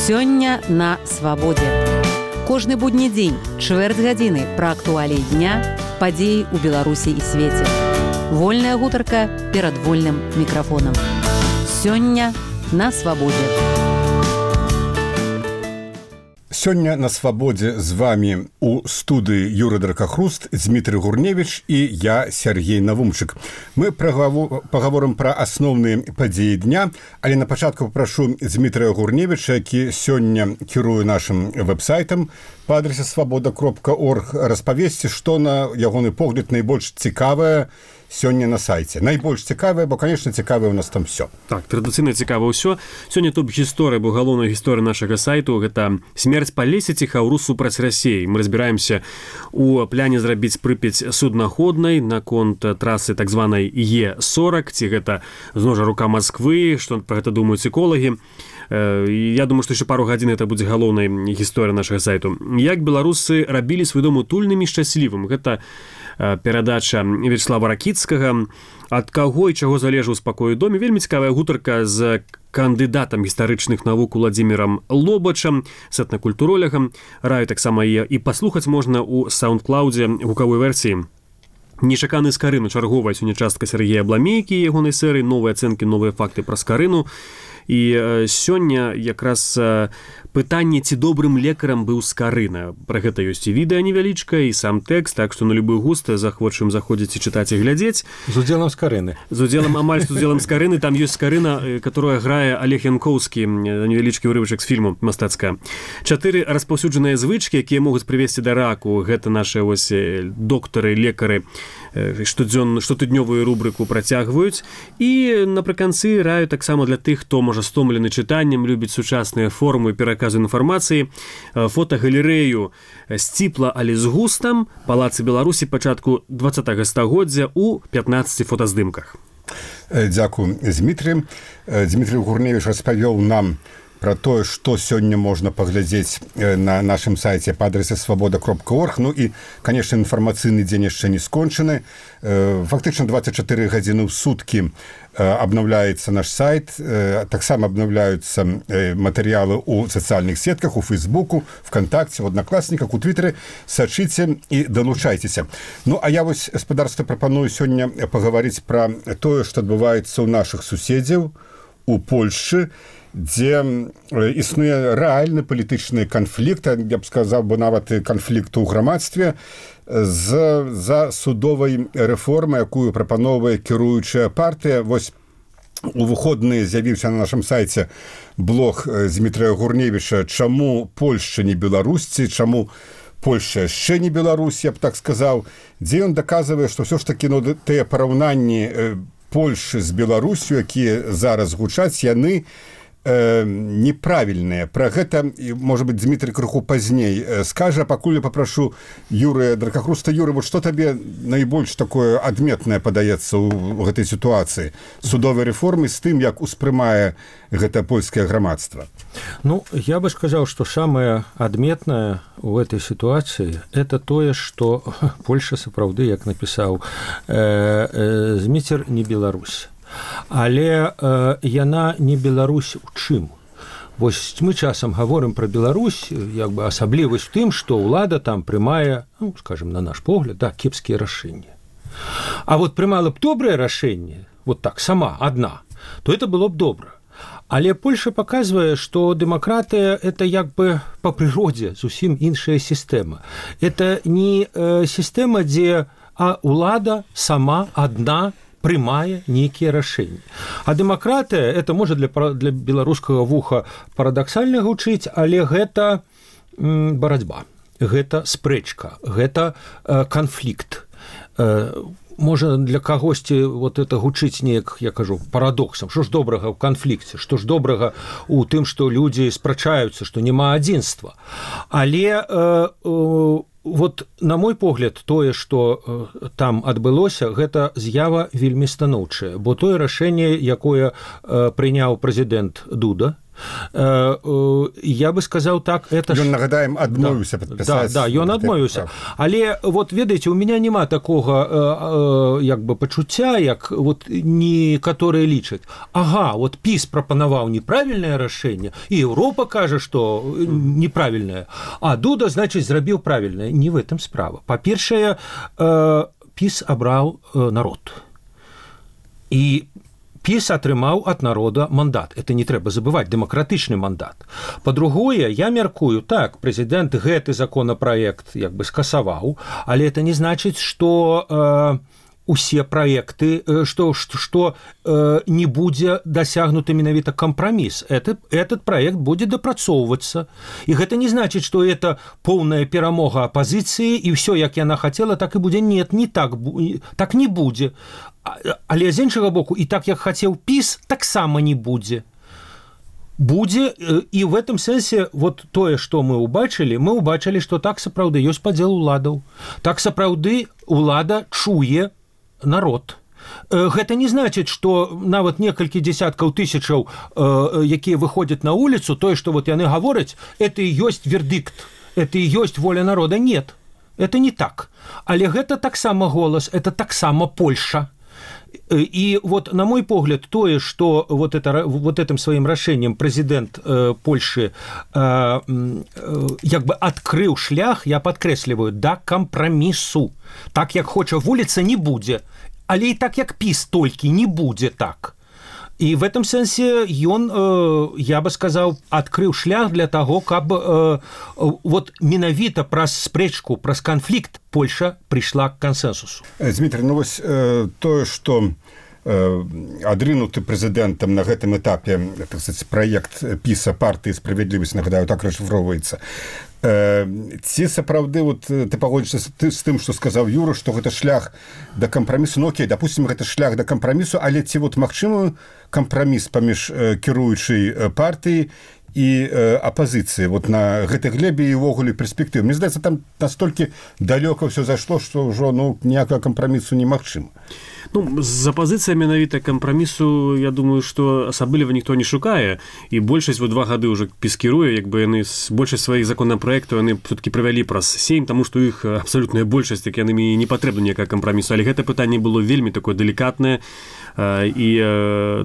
Сёння на свабодзе. Кожны будні дзень, чвэрць гадзіны пра актуаліі дня, падзеі ў Беларусі і свеце. Вольная гутарка перад вольным мікрафонам. Сёння на свабодзе. Сёння на свабодзе з вами у студыі Юрый Дракахруст, Дмітрый Гурневіч і я, Сергей Навумчык. Мы пагаворым пра асноўныя падзеі дня, але на пачатку папрашу Дмітрыя Гурневіча, які сёння кіруе нашым вэб-сайтам па адрасе свабода.орг, распавесці, што на ягоны погляд найбольш цікавае сёння на сайце. Найбольш цікавае, бо, конечно, цікавае у нас там все. Так, традыцыйна цікава ўсё. Сёння топ-гісторыя, бо галоўная гісторыя нашага сайту — гэта смерць па лесе ціхаўру супраць Расіі. Мы разбіраемся у пляне зрабіць Прыпяць суднаходнай наконт трасы так званай Е40, ці гэта зноў жа рука Масквы, што пра гэта думаюць эколагі. Я думаю, што яшчэ пару гадзін это будзе галоўнай гісторыя нашага сайту. Як беларусы рабілі свой дом утульным і шчаслівым. Гэта перадача Вячеслава Ракіцкага. Ад каго і чаго залежаў спакой у доме. Вельмі цікавая гутарка з кандыдатам гістарычных навук Уладзімірам Лобачам, з этнакультуролягам. Раю таксама і паслухаць можна ў SoundCloud гукавой версіі. Нечаканы Скарыну, чарговая сёння частка Сергея Бламейкі, ягонай серыі, новыя ацэнкі, новыя факты пра Скарыну. І сёння якраз пытанне, ці добрым лекарам быў Скарына. Пра гэта ёсць і відэа невялічка, і сам тэкст, так што на любы густ захвочым заходзіць і чытаць і глядзець. З удзелам Скарыны. З удзелам, амаль з удзелам Скарыны. Там ёсць Скарына, которая грае Олег Янкоўскі, невялічкі ўрывачак з фільму мастацка. 4 распаўсюджаныя звычкі, якія могуць прывесці да раку. Гэта нашы вось доктары, лекары штотыднёвую рубрыку працягваюць. І напрыканцы раю таксама для тых, хто можа стомлены чытаннем, любіць сучасныя формы пераказу інфармацыі, фотагалерэю сціпла, але з густам, палацы Беларусі пачатку 20-го стагоддзя у 15 фотаздымках. Дзякую, Дмітрый. Дмітрый Гурневіч распавёў нам про тое, што сёння можна паглядзець на нашым сайце па адрасе свабода.орг. Ну і, конечно, інфармацыйны дзень яшчэ не скончаны. Фактычна 24 гадзіны ў суткі абнаўляецца наш сайт, таксама абнаўляюцца матэрыялы ў сацыяльных сетках, у Фейсбуку, ВКонтакце, у Аднакласніках, у Твітары. Сачыце і далучайцеся. Ну, а я вось, гаспадарства, прапаную сёння пагаварыць пра тое, што адбываецца ў нашых суседзяў у Польшчы, дзе існуе рэальны палітычны канфлікт, я б сказаў бы нават канфлікт у грамадстве, за судовай рэформай, якую прапановвае кіруючая партыя. Вось у выходныя з'явіўся на нашым сайце блог Дмітрыя Гурневіча «Чаму Польшча не Беларусці?», чаму Польшча яшчэ не Беларусь, я б так сказаў, дзе ён даказвае, што ўсё ж такі тыя параўнанні Польшчы з Беларусю, якія зараз гучаць, яны неправільныя. Пра гэта, можа быць, Дмітрый крыху пазней скажа. Пакуль я папрашу Юрыя Дракахруста. Юрый, вот што табе найбольш такое адметнае падаецца ў гэтай сітуацыі судовай рэформы з тым, як успрымае гэта польскае грамадства? Ну, я бы сказал, что самое адметнае в этой ситуации — это тое, что Польша сапраўды, як напісаў Зміцер, не Беларусь. Але яна не Беларусь у чым? Вось мы часам гаворым пра Беларусь, як бы асаблівасць у тым, што ўлада там прымае, ну, скажем, на наш погляд, да, кепскія рашэнні. А вот прымала б добрае рашэнне, вот так, сама, адна, то это было б добра. Але Польша паказвае, што дэмакратыя — это як бы па прыродзе зусім іншая сістэма. Это не сістэма, дзе ўлада сама адна прымае нейкія рашэнні. А дэмакратыя — это можа для беларускага вуха парадаксальна гучыць, але гэта барацьба, гэта спрэчка, гэта канфлікт. Можа для кагосьці вот это гучыць неяк, я кажу, парадоксам. Што ж добрага ў канфлікце, што ж добрага ў тым, што людзі спрачаюцца, што няма адзінства. Але вот, на мой погляд, тое, што там адбылося, гэта з'ява вельмі станоўчая, бо тое рашэнне, якое прыняў прэзідэнт Дуда, Я бы сказаў так, это ён, нагадаем, адмовіўся падпісаць. Да, ён адмовіўся. Але вот ведаеце, у меня няма такога як бы пачуцця, як вот некаторыя лічаць. Ага, вот ПіС прапанаваў неправільнае рашэнне, і Еўропа кажа, што неправільнае, а Дуда, значыць, зрабіў правільнае. Не в этом справа. Па-першае, ПіС абраў народ. І ПіС атрымаў ад народа мандат. Это не трэба забываць, дэмакратычны мандат. Па-другое, я мяркую, так, прэзідэнт гэты законапраект як бы скасаваў, але это не значыць, што усе праекты, што не будзе дасягнуты менавіта кампраміс. Этот проект будзе дапрацоўвацца. І гэта не значыць, што это поўная перамога апазіцыі, і ўсё, як яна хацела, так і будзе. Нет, не так, так не будзе. Але з іншага боку, і так, як хацеў ПіС, таксама не будзе. Будзе, і в этом сэнсе вот тое, што мы ўбачылі, што так сапраўды ёсць падзел уладаў. Так сапраўды улада чуе народ. Гэта не значыць, што нават некалькі дзесяткаў тысячаў, якія выходзяць на вуліцу, тое, што вот яны гавораць, это і ёсць вердикт, это і ёсць воля народа. Нет, это не так. Але гэта таксама голас, это таксама Польша. И вот, на мой погляд, тое, что вот этим своим рашением президент Польши как бы открыл шлях, я подкресливаю, да компромиссу. Так, як хоча вуліца, не будзе. Але і так, як ПіС, толькі не будзе так. І в этом сэнсе ён, я бы сказаў, адкрыў шлях для таго, каб вот менавіта праз спрэчку, праз канфлікт Польша прыйшла к кансэнсусу. Дмітрий, ну вось тое, што адрынуты прэзідэнтам на гэтым этапе, так сказать, праект ПіСа партыі «Справядлівасць», нагадаю, так расшифроўваецца. Ці сапраўды вот, ты пагодзішся з тым, што сказаў Юра, што гэта шлях да кампрамісу? Ну окей, допустим, гэта шлях да кампрамісу, але ці вот магчымы кампраміс паміж кіруючай партыі і апазіцыі вот на гэтай глебе і ўвогуле перспектывы? Мне здаецца, там настолькі далёка ўсё зайшло, што ўжо ніякага кампрамісу немагчыма. Ну, з апазіцыя менавіта кампрамісу, я думаю, што асабліва ніхто не шукае, і большасць вот 2 гады ўжо ПіС кіруе, як бы яны большасць сваіх законапраектаў яны все-таки правялі праз 7, таму што іх абсалютная большасць, так яны не патрэбна ніякага кампрамісу, але гэта пытанне было вельмі такое далікатнае, і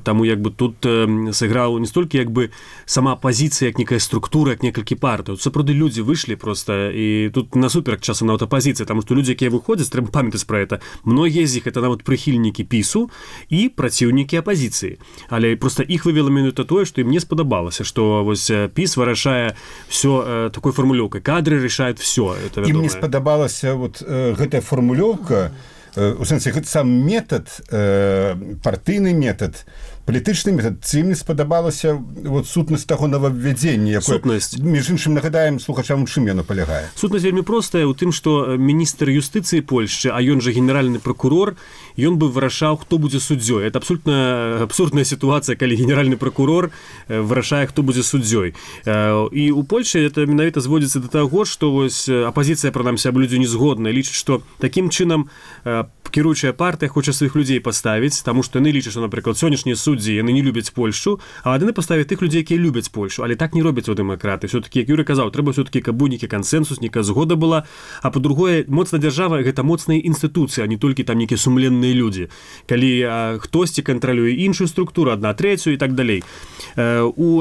таму як бы тут сыграў не столькі як бы сама апазіцыя, як некая структура, як некалькі партый. Сапраўды людзі выйшлі проста, і тут насуперак часам нават апазіцыя, таму што людзі, якія выходзяць, трэба памятаць пра гэта. Многія з іх это нават прыхільнікі ПіСу і праціўнікі апазіцыі. Але проста іх вывела менавіта тое, што ім не спадабалася, што вось ПіС вырашае ўсё такой фармулёўкай. Кадры рашаюць ўсё. Ім не спадабалася вот гэтая фармулёўка, у сэнсе гэта сам метад, партыйны метад, палітычны метад, ці ім не спадабалася вот сутнасць таго новаввядзення, якое, між іншым, нагадаем слухачам, у чым яно палягае? Сутнасць вельмі простая ў тым, што міністр юстыцыі Польшчы, а ён жа генеральны прокурор, ён бы вырашаў, хто будзе суддзёй. Это абсолютна абсурдная сітуацыя, калі генеральны прокурор вырашае, хто будзе суддзёй. І ў Польшчы это менавіта зводзіцца да таго, што вось апазіцыя, прынамсі, аб людзі не згодная, лічыць, што такім чынам кіруючая партыя хоча сваіх людзей паставіць, таму што яны лічаць, што, напрыклад, сённяшнія суддзі, яны не любяць Польшчу, а яны паставяць тых людзей, якія любяць Польшу. Але так не робяць у дэмакраты. Все-таки, як Юрий казаў, трэба все-таки, каб быў нейкі кансэнсус, нейкая згода была, а па-другое, моцная дзяржава — гэта моцныя інстытуцыі, а не толькі там нейкія сумленныя людзі. Калі хтосьці кантралюе іншую структуру, 1/3 і так далей. У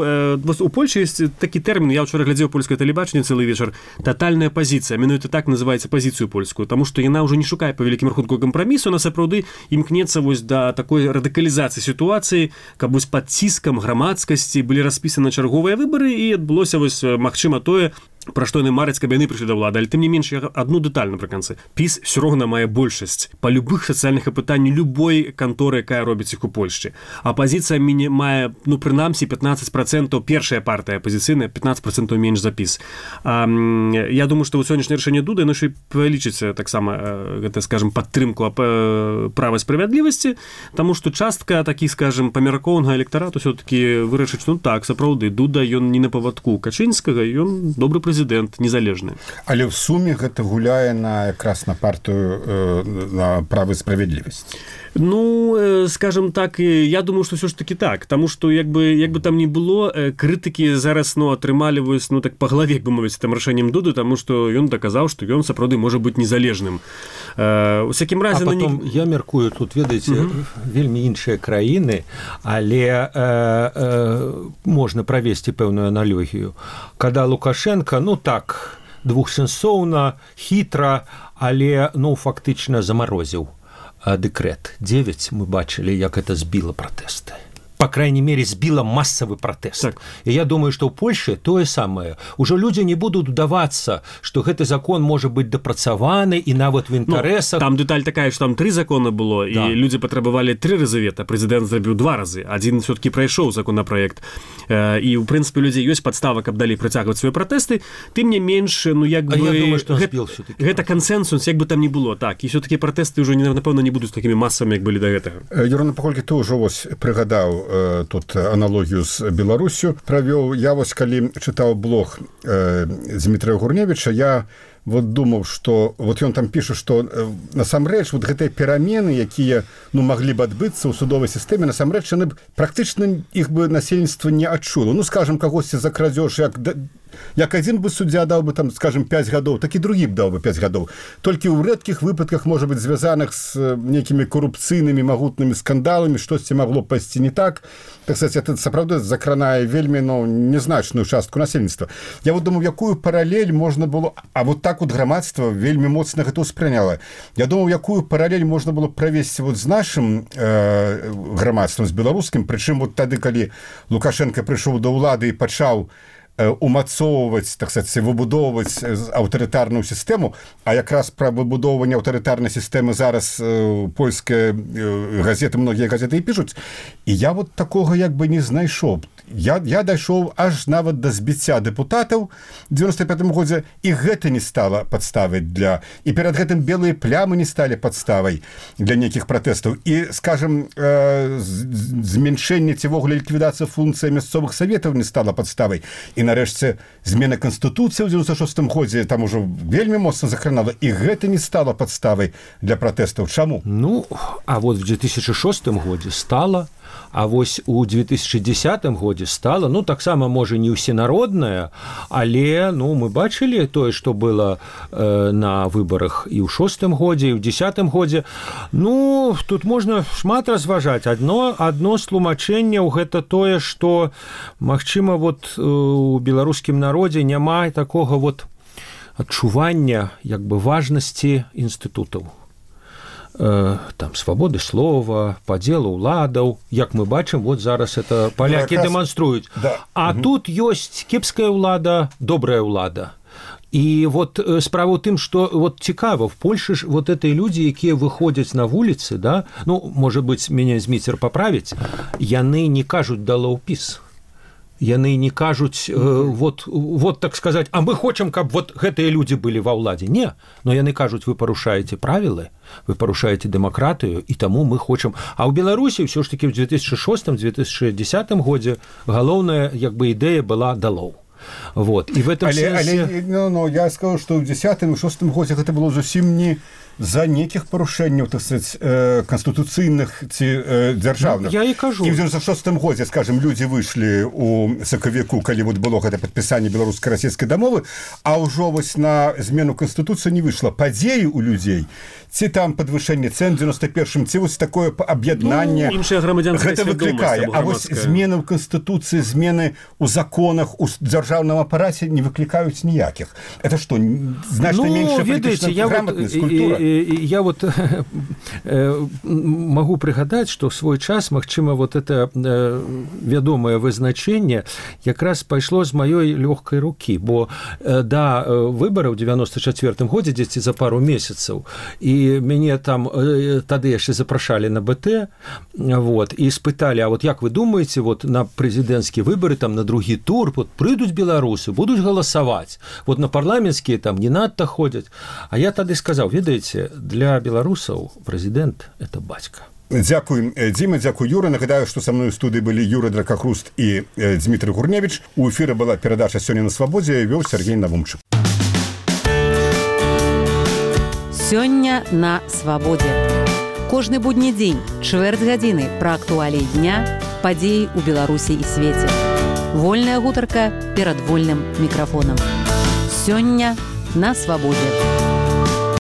Польшчы ёсць такі тэрмін, я ўчора глядзеў польскае тэлебачанне цэлы вечар, татальная пазіцыя, менавіта так называецца пазіцыю польскую, таму што яна ўжо не шукае па вялікім рахунку кампрамісу, она сапраўды імкнецца вось да такой радыкалізацыі сітуацыі, каб вось пад ціскам грамадскасці былі распісаны чарговыя выбары і адбылося вось магчыма тое, пра што яны мараць, каб яны прыйшлі да ўлады. Але тым не менш, адну дэталь напрыканцы. ПіС ўсё роўна мае большасць па любых сацыяльных пытаннях любой канторы, якая робіць іх у Польшчы. Апазіцыя мае, прынамсі, 15%, першая партыя апазіцыйная, 15% менш за ПіС. Я думаю, што ў сённяшняе рашэнне Дуда яно яшчэ павялічыць таксама, гэта, скажем, падтрымку права справядлівасці, таму што частка такіх, скажем, памяркоўнага электарату ўсё-такі вырашыць, ну так, сапраўды, Дуда, ён не на павадку Качынскага, ён добры прэзідэнт. прэзідэнт незалежны. Але в суме гэта гуляе якраз на партыю на права і справядлівасць. Ну, скажем так, я думаю, что все ж таки так, потому что як бы там ни было, критики зараз, атрымалі так по голове, як бы мовіць, там рашэннем Дуды, тому что ён доказаў, что ён сапраўды можа быць незалежным. У всякім разе... А потом, я мяркую, тут, ведаеце, вельмі іншыя краіны, але можна правесці пэўную аналогію. Когда Лукашенко, так, двухсэнсоўна, хітра, але, фактычна замарозіў дэкрэт 9, мы бачылі, як это збіла пратэсты. По крайней мере, сбила массовый протест. Так. И я думаю, что в Польше то же самое. Уже люди не будут удаваться, что этот закон может быть допрацаваны и нават в интересах. Там деталь такая, что там 3 законы было, да. И люди потребовали 3 разы вето, президент зрабіў 2 разы. Один все-таки пройшоў законопроект. И, в принципе, у людей есть подстава, каб далей працягваць свои протесты. Тым не менш, я думаю, что он сбил все-таки. Это консенсус, як бы там ни было. Так. И все-таки протесты уже, напевно, не будут такими массовыми, как были до этого. Юрана, паколькі ты ўжо прыгадаў тут аналогію з Беларусю правёў. Я калі чытаў блог Дмітрия Гурневича, я думаў, што ён там піша, што насамрэч гэтыя перамены, якія маглі б адбыцца ў судовай сістэме, насамрэч яны практычна іх бы насельніцтва не адчула. Скажам, кагосьці за крадзеж, як адзін бы суддзя даў бы там, скажем, 5 гадоў, так і другі б даў бы 5 гадоў. Толькі ў рэдкіх выпадках, можа быць, звязаных з нейкімі корупцыйнымі магутнымі скандаламі, штосьці магло пайсці не так. Так сказать, это сапраўды закранае вельмі незначную частку насельніцтва. Я думаю, якую паралель можна было, а так грамадства вельмі моцна гэта ўспрыняла. Я думаю, якую паралель можна было правесці з нашым грамадствам, з беларускім, прычым тады, калі Лукашенко прыйшоў да ўлады і пачаў умацоўваць, так сказать, выбудоўваць аўтарытарную сістэму, а якраз пра выбудоўванне аўтарытарнай сістэмы зараз польскія газеты, многія газеты і пішуць. І я такога як бы не знайшоў. Я дайшоў аж нават да збіцця дэпутатаў в 95-м годзе, і гэта не стала падставай для... І перад гэтым белыя плямы не сталі падставай для нейкіх пратэстаў. І, скажем, зменшэнне ці вогуле ліквідацыя функцыі мясцовых саветаў не стала падставай. І, нарэшце, змена Канстытуцыі ў 96-м годзе там ужо вельмі моцна закранала, і гэта не стала падставай для пратэстаў. Чаму? А в 2006 годзе стала, а вось у 2010 годзе стала, таксама, можа, не ўсенародная, але, мы бачылі тое, што было на выбарах і ў 6-м годзе, і ў 10-м годзе. Тут можна шмат разважаць. Адно з тлумачэнняў гэта тое, што, магчыма, у беларускім народзе няма такога адчування, як бы, важнасці інстытутаў. Там свабоды слова, падзелу ўладаў, як мы бачым, зараз это палякі дэманструюць. Да. А тут ёсць кепская ўлада, добрая ўлада. І справа ў тым, што цікава, в Польшы ж гэтыя людзі, якія выходзяць на вуліцы, да, можа быць, мяне Зміцер паправіць, яны не кажуць «дало ўпіс». Яны не кажуць, так сказаць, а мы хочам, каб гэтыя людзі былі ва ўладзе. Не, но яны кажуць, вы парушаеце правілы, вы парушаеце дэмакратыю, і таму мы хочам. А ў Беларусі ўсё ж такі ў 2006-2010 годзе галоўная, як бы, ідэя была «далоў». І в этом сэнсе... я скажу, што ў 10-м і 6-м годзе гэта было зусім не за нейкіх парушэнняў, так сказать, канстытуцыйных ці дзяржаўных. Я і кажу. І в 96-м годзе, скажем, людзі выйшлі ў сакавіку, калі было гэта падпісанне беларуска-расійскай дамовы, а ўжо на змену канстытуцыі не выйшла. Падзеі ў людзей, ці там падвышэнне цэн 91-м, ці такое аб'яднанне, гэта выклікае. А змены ў канстытуцыі, змены ў законах, у дзяржаўным апараце не выклікаюць ніякіх. Это што, значна меншая палітычная граматнасць, культура? Я могу прыгадаць, што ў свой час, магчыма, это вядомае вызначэнне якраз пайшло з маёй лёгкай рукі, бо да выбараў ў 94-м годзе, дзесьці за пару месяцаў, і мяне там тады яшчэ запрашалі на БТ, і спыталі, а як вы думаеце, на прэзідэнцкія выбары, там на другі тур, прыйдуць беларусы, будуць галасаваць, на парламенцкія там не надта ходзяць. А я тады сказаў, ведаеце, для беларусаў прэзідэнт – это бацька. Дзякуй, Дзіма, дзякуй, Юра. Нагадаю, што са мной у студыі былі Юра Дракахруст і Дмітрий Гурневіч. У эфіры была перадача «Сёння на свабодзе», вёў Сергей Навумчык. Сёння на свабодзе. Кожны будні дзень, чвэрць гадзіны пра актуаліі дня, падзеі ў Беларусі і свеце. Вольная гутарка перад вольным мікрафонам. Сёння на свабодзе.